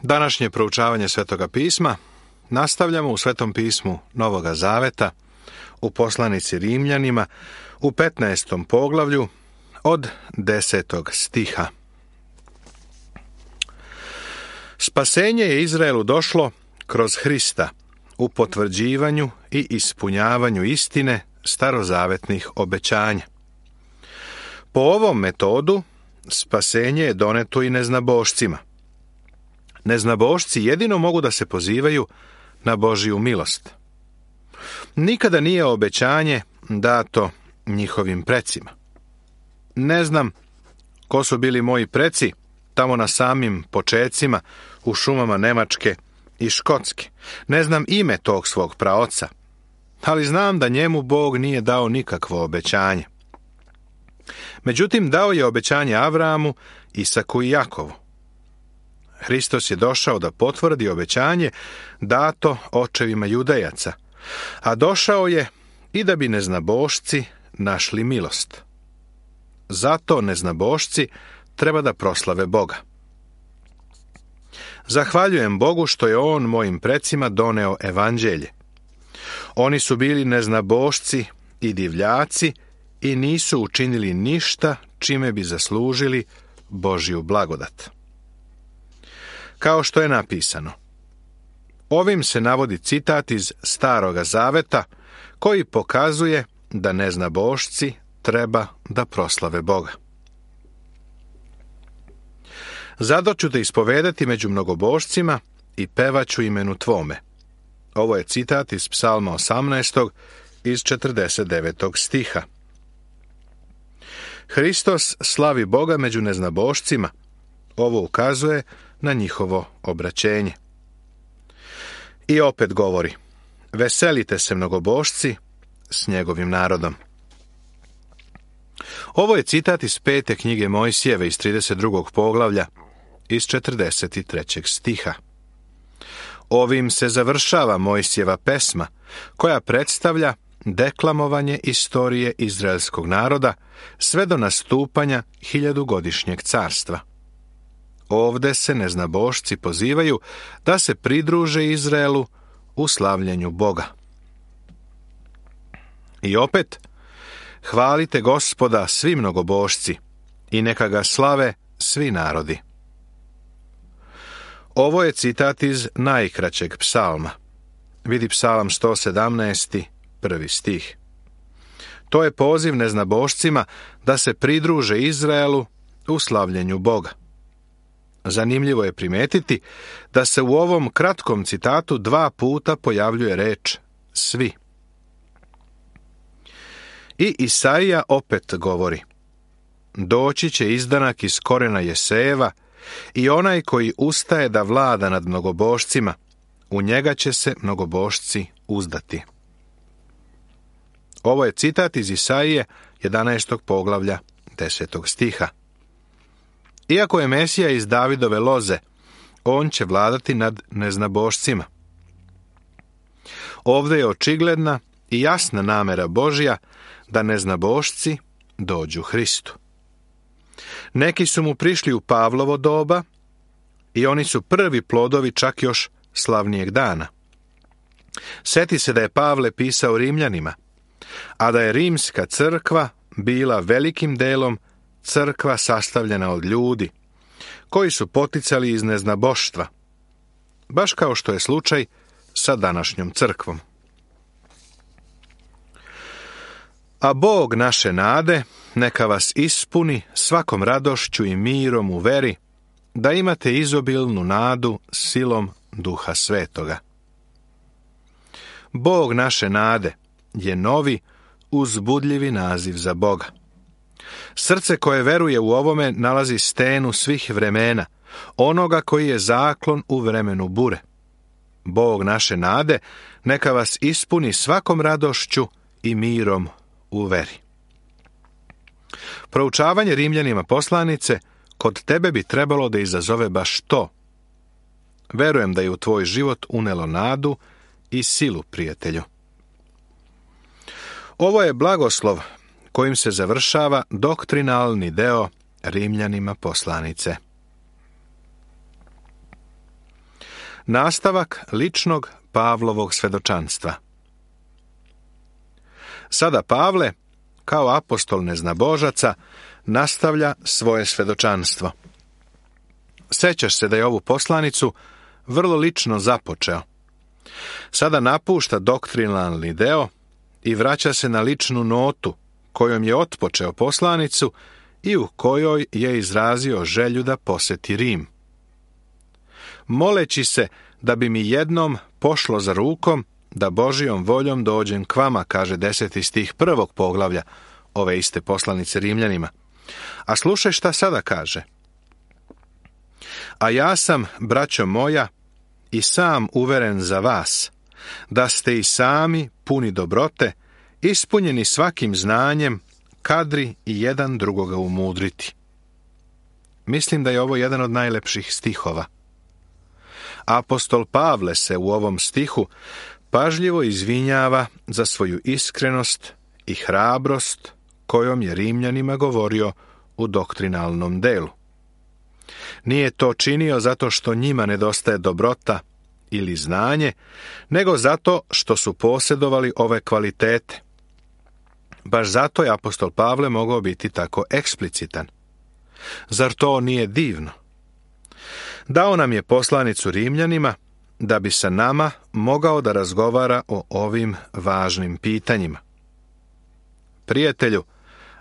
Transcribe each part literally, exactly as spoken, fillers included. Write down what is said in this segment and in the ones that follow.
Današnje proučavanje Svetoga pisma nastavljamo u Svetom pismu Novoga Zaveta, u poslanici Rimljanima, u petnaestom poglavlju od desetog stiha. Spasenje je Izraelu došlo kroz Hrista u potvrđivanju i ispunjavanju istine starozavetnih obećanja. Po ovom metodu spasenje je doneto i neznabošcima. Neznabošci jedino mogu da se pozivaju na Božiju milost. Nikada nije obećanje dato njihovim precima. Ne znam ko su bili moji preci tamo na samim počecima u šumama Nemačke i Škotske. Ne znam ime tog svog praoca, ali znam da njemu Bog nije dao nikakvo obećanje. Međutim, dao je obećanje Avramu, Isaku i Jakovu. Hristos je došao da potvrdi obećanje dato očevima Judejaca, a došao je i da bi neznabošci našli milost. Zato neznabošci treba da proslave Boga. Zahvaljujem Bogu što je On mojim precima doneo evanđelje. Oni su bili neznabošci i divljaci i nisu učinili ništa čime bi zaslužili Božju blagodat. Kao što je napisano. Ovim se navodi citat iz Staroga Zaveta koji pokazuje da neznabošci treba da proslave Boga. Zato ću te ispovedati među mnogobošcima i pevaću imenu tvome. Ovo je citat iz Psalma osamnaestog iz četrdeset devetog stiha. Hristos slavi Boga među neznabošcima. Ovo ukazuje na njihovo obraćenje. I opet govori, veselite se mnogobošci s njegovim narodom. Ovo je citat iz pete knjige Mojsijeve iz trideset drugog poglavlja iz četrdeset trećeg stiha. Ovim se završava Mojsijeva pesma koja predstavlja deklamovanje istorije izraelskog naroda sve do nastupanja hiljadugodišnjeg carstva. Ovde se neznabošci pozivaju da se pridruže Izraelu u slavljenju Boga. I opet, hvalite Gospoda svi mnogobošci i neka ga slave svi narodi. Ovo je citat iz najkraćeg psalma. Vidi Psalam sto sedamnaest. prvi stih. To je poziv neznabošcima da se pridruže Izraelu u slavljenju Boga. Zanimljivo je primetiti da se u ovom kratkom citatu dva puta pojavljuje reč svi. I Isaija opet govori, doći će izdanak iz korena Jesejeva i onaj koji ustaje da vlada nad mnogobošcima, u njega će se mnogobošci uzdati. Ovo je citat iz Isaije jedanaestog poglavlja desetog stiha. Iako je Mesija iz Davidove loze, on će vladati nad neznabošcima. Ovdje je očigledna i jasna namera Božja da neznabošci dođu Hristu. Neki su mu prišli u Pavlovo doba i oni su prvi plodovi čak još slavnijeg dana. Sjeti se da je Pavle pisao Rimljanima, a da je rimska crkva bila velikim delom crkva sastavljena od ljudi, koji su poticali iz neznaboštva, baš kao što je slučaj sa današnjom crkvom. A Bog naše nade neka vas ispuni svakom radošću i mirom u veri, da imate izobilnu nadu silom Duha Svetoga. Bog naše nade je novi, uzbudljivi naziv za Boga. Srce koje veruje u ovome nalazi stenu svih vremena, onoga koji je zaklon u vremenu bure. Bog naše nade neka vas ispuni svakom radošću i mirom u veri. Proučavanje Rimljanima poslanice kod tebe bi trebalo da izazove baš to. Verujem da je u tvoj život unelo nadu i silu, prijatelju. Ovo je blagoslov kojim se završava doktrinalni deo Rimljanima poslanice. Nastavak ličnog Pavlovog svedočanstva. Sada Pavle, kao apostol neznabožaca, nastavlja svoje svedočanstvo. Sećaš se da je ovu poslanicu vrlo lično započeo. Sada napušta doktrinalni deo i vraća se na ličnu notu kojom je otpočeo poslanicu i u kojoj je izrazio želju da poseti Rim. Moleći se da bi mi jednom pošlo za rukom da Božijom voljom dođem k vama, kaže deseti stih prvog poglavlja ove iste poslanice Rimljanima. A slušaj šta sada kaže. A ja sam, braćo moja, i sam uveren za vas, da ste i sami puni dobrote, ispunjeni svakim znanjem, kadri i jedan drugoga umudriti. Mislim da je ovo jedan od najlepših stihova. Apostol Pavle se u ovom stihu pažljivo izvinjava za svoju iskrenost i hrabrost kojom je Rimljanima govorio u doktrinalnom delu. Nije to činio zato što njima nedostaje dobrota ili znanje, nego zato što su posjedovali ove kvalitete. Baš zato je apostol Pavle mogao biti tako eksplicitan. Zar to nije divno? Dao nam je poslanicu Rimljanima da bi sa nama mogao da razgovara o ovim važnim pitanjima. Prijatelju,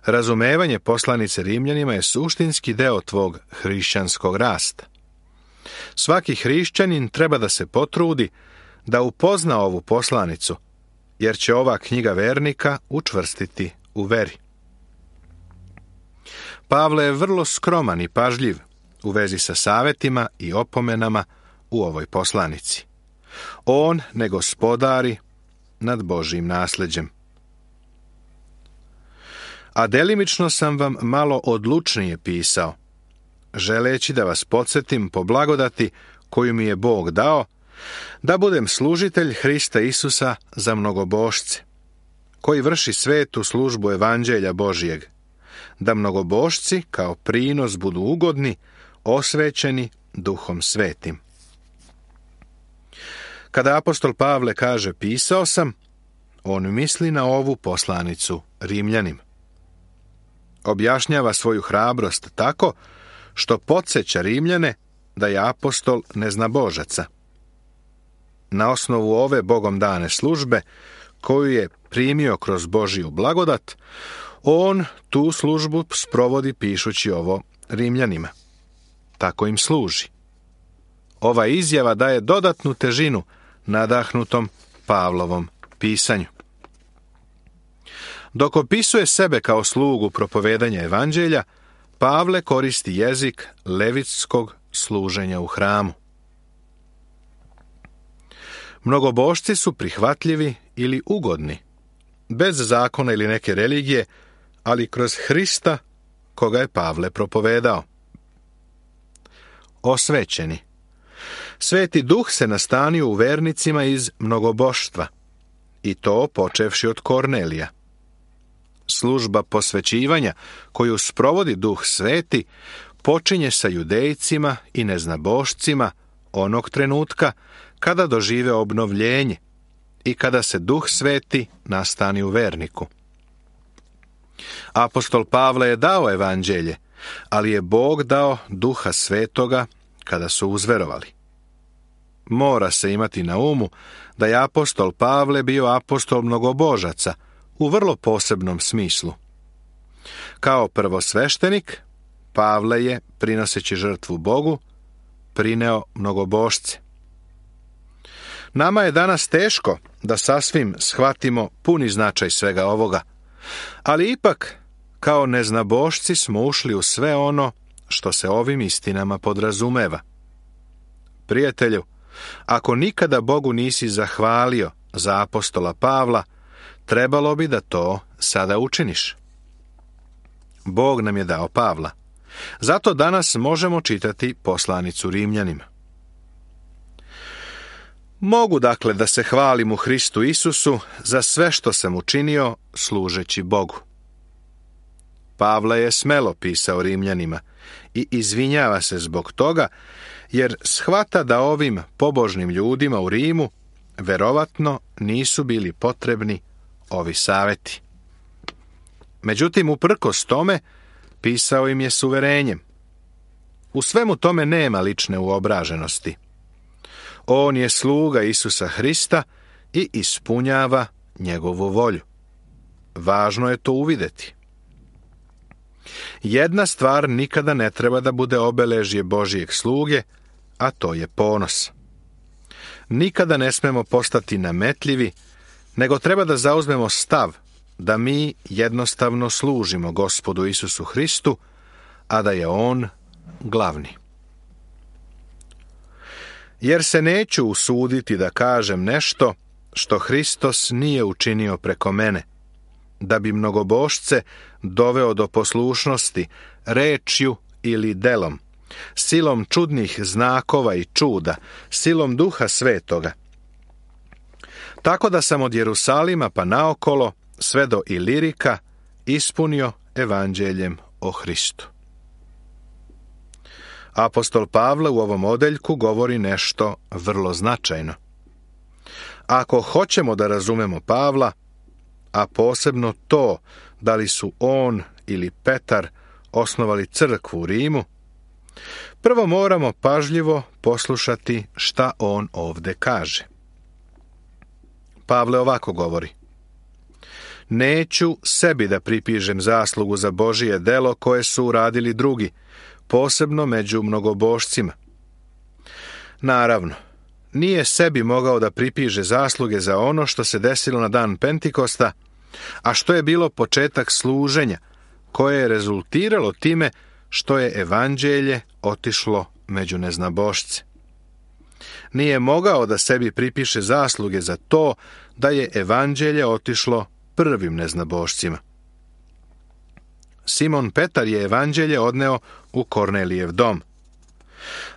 razumevanje poslanice Rimljanima je suštinski deo tvog hrišćanskog rasta. Svaki hrišćanin treba da se potrudi da upozna ovu poslanicu, jer će ova knjiga vernika učvrstiti u veri. Pavle je vrlo skroman i pažljiv u vezi sa savetima i opomenama u ovoj poslanici. On ne gospodari nad Božjim nasleđem. A delimično sam vam malo odlučnije pisao, želeći da vas podsjetim po blagodati koju mi je Bog dao, da budem služitelj Hrista Isusa za mnogobošce, koji vrši svetu službu evanđelja Božijeg, da mnogobošci kao prinos budu ugodni, osvećeni Duhom Svetim. Kada apostol Pavle kaže pisao sam, on misli na ovu poslanicu Rimljanim. Objašnjava svoju hrabrost tako što podsjeća Rimljane da je apostol neznabožaca. Na osnovu ove Bogom dane službe, koju je primio kroz Božiju blagodat, on tu službu sprovodi pišući ovo Rimljanima. Tako im služi. Ova izjava daje dodatnu težinu nadahnutom Pavlovom pisanju. Dok opisuje sebe kao slugu propovedanja evanđelja, Pavle koristi jezik levitskog služenja u hramu. Mnogobošci su prihvatljivi ili ugodni, bez zakona ili neke religije, ali kroz Hrista koga je Pavle propovedao. Osvećeni. Sveti Duh se nastanio u vernicima iz mnogoboštva, i to počevši od Kornelija. Služba posvećivanja koju sprovodi Duh Sveti počinje sa judejcima i neznabošcima onog trenutka kada dožive obnovljenje i kada se Duh Sveti nastani u verniku. Apostol Pavle je dao evanđelje, ali je Bog dao Duha Svetoga kada su uzverovali. Mora se imati na umu da je apostol Pavle bio apostol mnogobožaca u vrlo posebnom smislu. Kao prvosveštenik, Pavle je, prinoseći žrtvu Bogu, prineo mnogobošce. Nama je danas teško da sasvim shvatimo puni značaj svega ovoga, ali ipak, kao neznabošci smo ušli u sve ono što se ovim istinama podrazumeva. Prijatelju, ako nikada Bogu nisi zahvalio za apostola Pavla, trebalo bi da to sada učiniš. Bog nam je dao Pavla. Zato danas možemo čitati poslanicu Rimljanima. Mogu dakle da se hvalim u Hristu Isusu za sve što sam učinio služeći Bogu. Pavle je smelo pisao Rimljanima i izvinjava se zbog toga, jer shvata da ovim pobožnim ljudima u Rimu verovatno nisu bili potrebni ovi saveti. Međutim, uprkos tome, pisao im je s uverenjem. U svemu tome nema lične uobraženosti. On je sluga Isusa Hrista i ispunjava njegovu volju. Važno je to uvidjeti. Jedna stvar nikada ne treba da bude obeležje Božijeg sluge, a to je ponos. Nikada ne smemo postati nametljivi, nego treba da zauzmemo stav da mi jednostavno služimo Gospodu Isusu Hristu, a da je On glavni. Jer se neću usuditi da kažem nešto što Hristos nije učinio preko mene, da bi mnogobošce doveo do poslušnosti rečju ili delom, silom čudnih znakova i čuda, silom Duha Svetoga. Tako da sam od Jerusalima pa naokolo, sve do Ilirika, ispunio evanđeljem o Hristu. Apostol Pavle u ovom odeljku govori nešto vrlo značajno. Ako hoćemo da razumemo Pavla, a posebno to da li su on ili Petar osnovali crkvu u Rimu, prvo moramo pažljivo poslušati šta on ovde kaže. Pavle ovako govori: neću sebi da pripižem zaslugu za Božije delo koje su uradili drugi, posebno među mnogobošcima. Naravno, nije sebi mogao da pripiže zasluge za ono što se desilo na dan Pentikosta, a što je bilo početak služenja, koje je rezultiralo time što je evanđelje otišlo među neznabošce. Nije mogao da sebi pripiše zasluge za to da je evanđelje otišlo prvim neznabošcima. Simon Petar je evanđelje odneo u Kornelijev dom.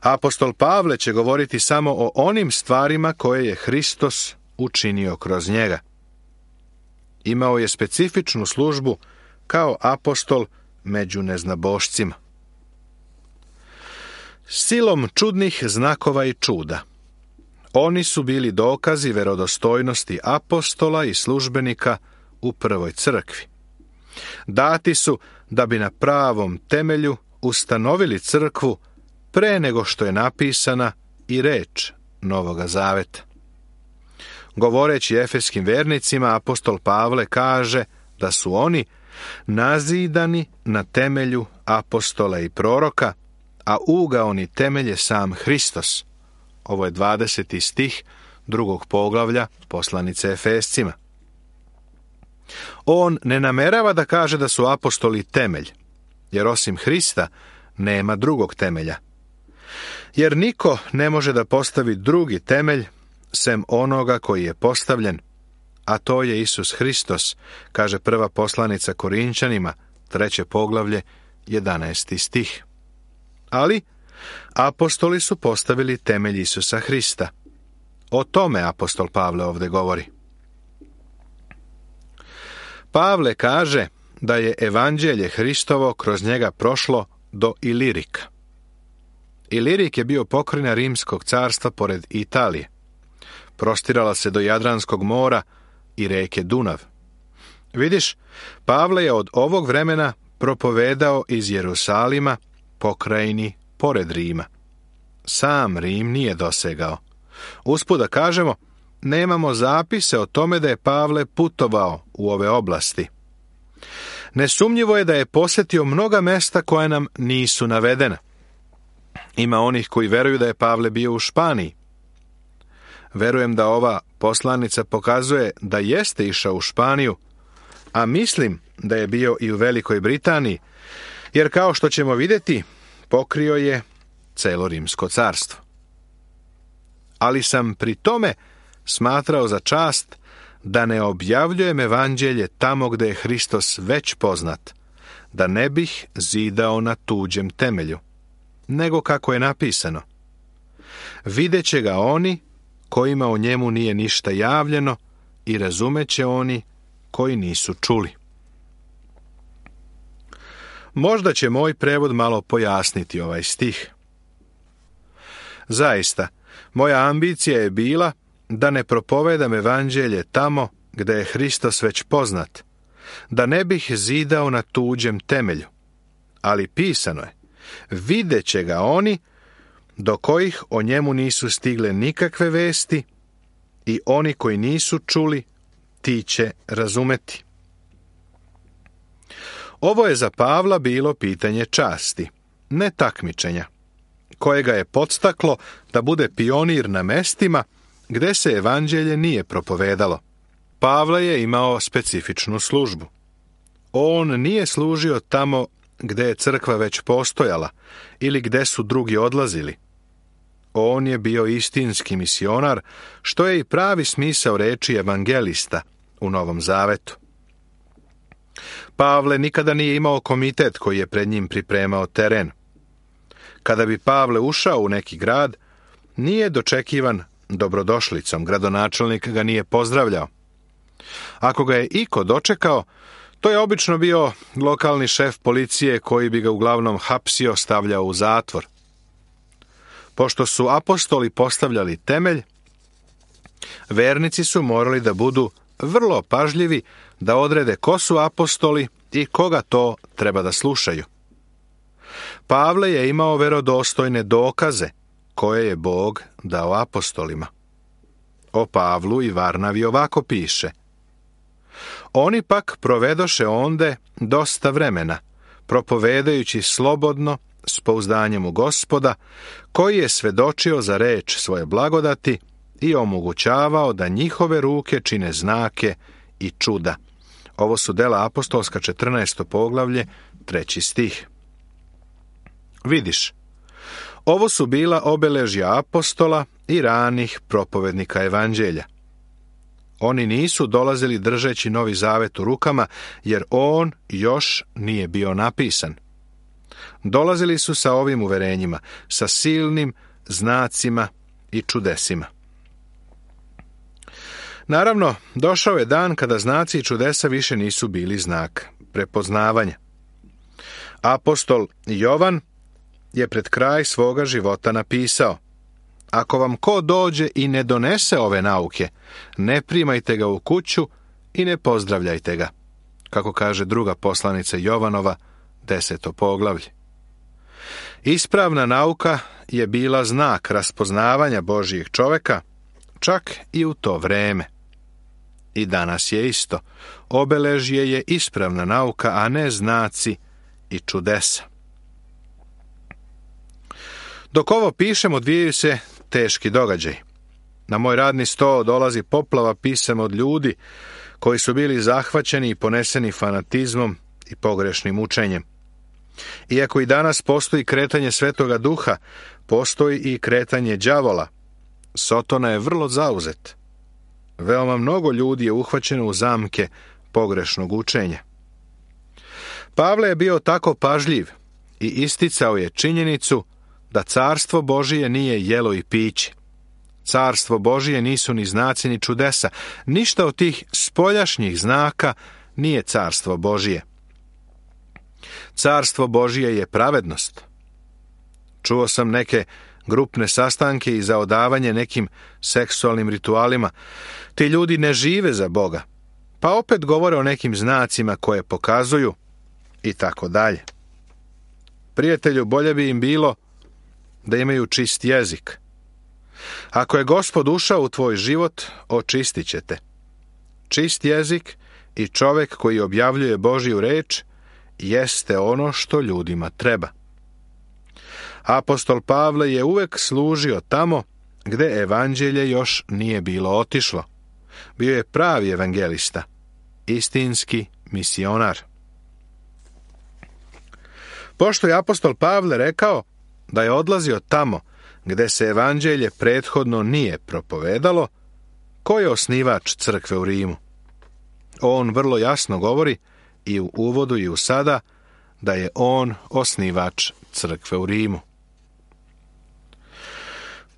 Apostol Pavle će govoriti samo o onim stvarima koje je Hristos učinio kroz njega. Imao je specifičnu službu kao apostol među neznabošcima. Silom čudnih znakova i čuda. Oni su bili dokazi verodostojnosti apostola i službenika u prvoj crkvi. Dati su da bi na pravom temelju ustanovili crkvu pre nego što je napisana i reč Novoga Zaveta. Govoreći efeskim vernicima, apostol Pavle kaže da su oni nazidani na temelju apostola i proroka, a ugaoni temelj je sam Hristos. Ovo je dvadeseti stih drugog poglavlja poslanice Efescima. On ne namerava da kaže da su apostoli temelj, jer osim Hrista nema drugog temelja. Jer niko ne može da postavi drugi temelj sem onoga koji je postavljen, a to je Isus Hristos, kaže prva poslanica Korinčanima, treće poglavlje, jedanaesti stih. Ali apostoli su postavili temelj Isusa Hrista. O tome apostol Pavle ovdje govori. Pavle kaže da je evanđelje Hristovo kroz njega prošlo do Ilirika. Ilirik je bio pokrajina Rimskog carstva pored Italije. Prostirala se do Jadranskog mora i reke Dunav. Vidiš, Pavle je od ovog vremena propovedao iz Jerusalima pokrajini pored Rima. Sam Rim nije dosegao. Usput da kažemo, nemamo zapise o tome da je Pavle putovao u ove oblasti. Nesumnjivo je da je posjetio mnoga mesta koja nam nisu navedena. Ima onih koji veruju da je Pavle bio u Španiji. Verujem da ova poslanica pokazuje da jeste išao u Španiju, a mislim da je bio i u Velikoj Britaniji, jer kao što ćemo vidjeti, pokrio je celo Rimsko carstvo. Ali sam pri tome smatrao za čast da ne objavljujem evanđelje tamo gde je Hristos već poznat, da ne bih zidao na tuđem temelju, nego kako je napisano: videće ga oni kojima o njemu nije ništa javljeno i razumeće oni koji nisu čuli. Možda će moj prevod malo pojasniti ovaj stih. Zaista, moja ambicija je bila da ne propovedam evanđelje tamo gde je Hristos već poznat, da ne bih zidao na tuđem temelju. Ali pisano je, vidjet će ga oni do kojih o njemu nisu stigle nikakve vesti i oni koji nisu čuli, ti će razumeti. Ovo je za Pavla bilo pitanje časti, ne takmičenja, koje ga je podstaklo da bude pionir na mestima gde se evanđelje nije propovedalo. Pavle je imao specifičnu službu. On nije služio tamo gde je crkva već postojala ili gde su drugi odlazili. On je bio istinski misionar, što je i pravi smisao reči evangelista u Novom Zavetu. Pavle nikada nije imao komitet koji je pred njim pripremao teren. Kada bi Pavle ušao u neki grad, nije dočekivan dobrodošlicom, gradonačelnik ga nije pozdravljao. Ako ga je iko dočekao, to je obično bio lokalni šef policije koji bi ga uglavnom hapsio, stavljao u zatvor. Pošto su apostoli postavljali temelj, vernici su morali da budu vrlo pažljivi da odrede ko su apostoli i koga to treba da slušaju. Pavle je imao verodostojne dokaze koje je Bog dao apostolima. O Pavlu i Varnavi ovako piše: Oni pak provedoše onde dosta vremena, propovedajući slobodno, s pouzdanjem u Gospoda, koji je svedočio za reč svoje blagodati i omogućavao da njihove ruke čine znake i čuda. Ovo su Dela apostolska, četrnaesto poglavlje, treći stih. Vidiš, ovo su bila obeležja apostola i ranih propovednika evanđelja. Oni nisu dolazili držeći Novi Zavet u rukama, jer on još nije bio napisan. Dolazili su sa ovim uverenjima, sa silnim znacima i čudesima. Naravno, došao je dan kada znaci i čudesa više nisu bili znak prepoznavanja. Apostol Jovan je pred kraj svoga života napisao: Ako vam ko dođe i ne donese ove nauke, ne primajte ga u kuću i ne pozdravljajte ga, kako kaže druga poslanica Jovanova, deseto poglavlje. Ispravna nauka je bila znak raspoznavanja Božijeg čoveka, čak i u to vreme. I danas je isto. Obeležje je ispravna nauka, a ne znaci i čudesa. Dok ovo pišem, odvijaju se teški događaj. Na moj radni sto dolazi poplava pisama od ljudi koji su bili zahvaćeni i poneseni fanatizmom i pogrešnim učenjem. Iako i danas postoji kretanje Svetoga Duha, postoji i kretanje đavola. Sotona je vrlo zauzet. Veoma mnogo ljudi je uhvaćeno u zamke pogrešnog učenja. Pavle je bio tako pažljiv i isticao je činjenicu da carstvo Božije nije jelo i piće. Carstvo Božije nisu ni znaci ni čudesa. Ništa od tih spoljašnjih znaka nije carstvo Božije. Carstvo Božije je pravednost. Čuo sam neke grupne sastanke i za odavanje nekim seksualnim ritualima. Ti ljudi ne žive za Boga, pa opet govore o nekim znacima koje pokazuju i tako dalje. Prijatelju, bolje bi im bilo da imaju čist jezik. Ako je Gospod ušao u tvoj život, očistit će te. Čist jezik i čovek koji objavljuje Božju reč jeste ono što ljudima treba. Apostol Pavle je uvek služio tamo gde evanđelje još nije bilo otišlo. Bio je pravi evangelista, istinski misionar. Pošto je apostol Pavle rekao da je odlazio tamo gde se evanđelje prethodno nije propovedalo, ko je osnivač crkve u Rimu? On vrlo jasno govori i u uvodu i u sada da je on osnivač crkve u Rimu.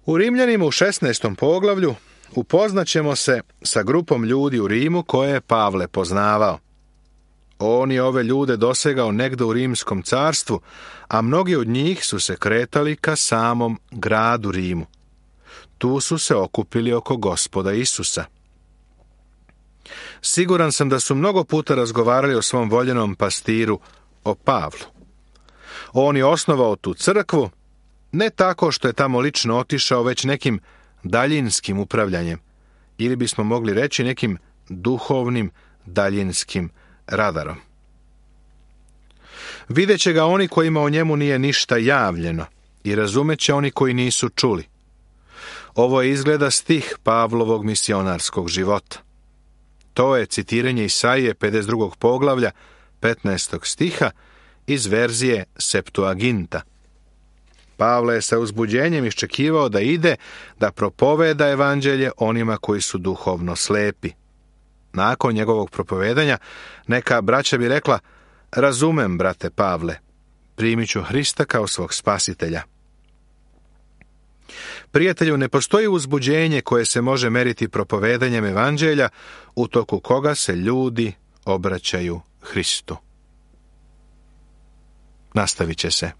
U Rimljanima u šesnaestom poglavlju upoznaćemo se sa grupom ljudi u Rimu koje je Pavle poznavao. On je ove ljude dosegao negde u Rimskom carstvu, a mnogi od njih su se kretali ka samom gradu Rimu. Tu su se okupili oko Gospoda Isusa. Siguran sam da su mnogo puta razgovarali o svom voljenom pastiru, o Pavlu. On je osnovao tu crkvu, ne tako što je tamo lično otišao, već nekim daljinskim upravljanjem, ili bismo mogli reći nekim duhovnim daljinskim radarom. Vidjet će ga oni kojima o njemu nije ništa javljeno i razumet će oni koji nisu čuli. Ovo je izgleda stih Pavlovog misionarskog života. To je citiranje Isaije pedeset drugog poglavlja, petnaestog stiha iz verzije Septuaginta. Pavle je sa uzbuđenjem iščekivao da ide da propoveda evanđelje onima koji su duhovno slepi. Nakon njegovog propovedanja, neka braća bi rekla: razumem, brate Pavle, primit ću Hrista kao svog spasitelja. Prijatelju, ne postoji uzbuđenje koje se može meriti propovedanjem evanđelja u toku koga se ljudi obraćaju Hristu. Nastavit će se.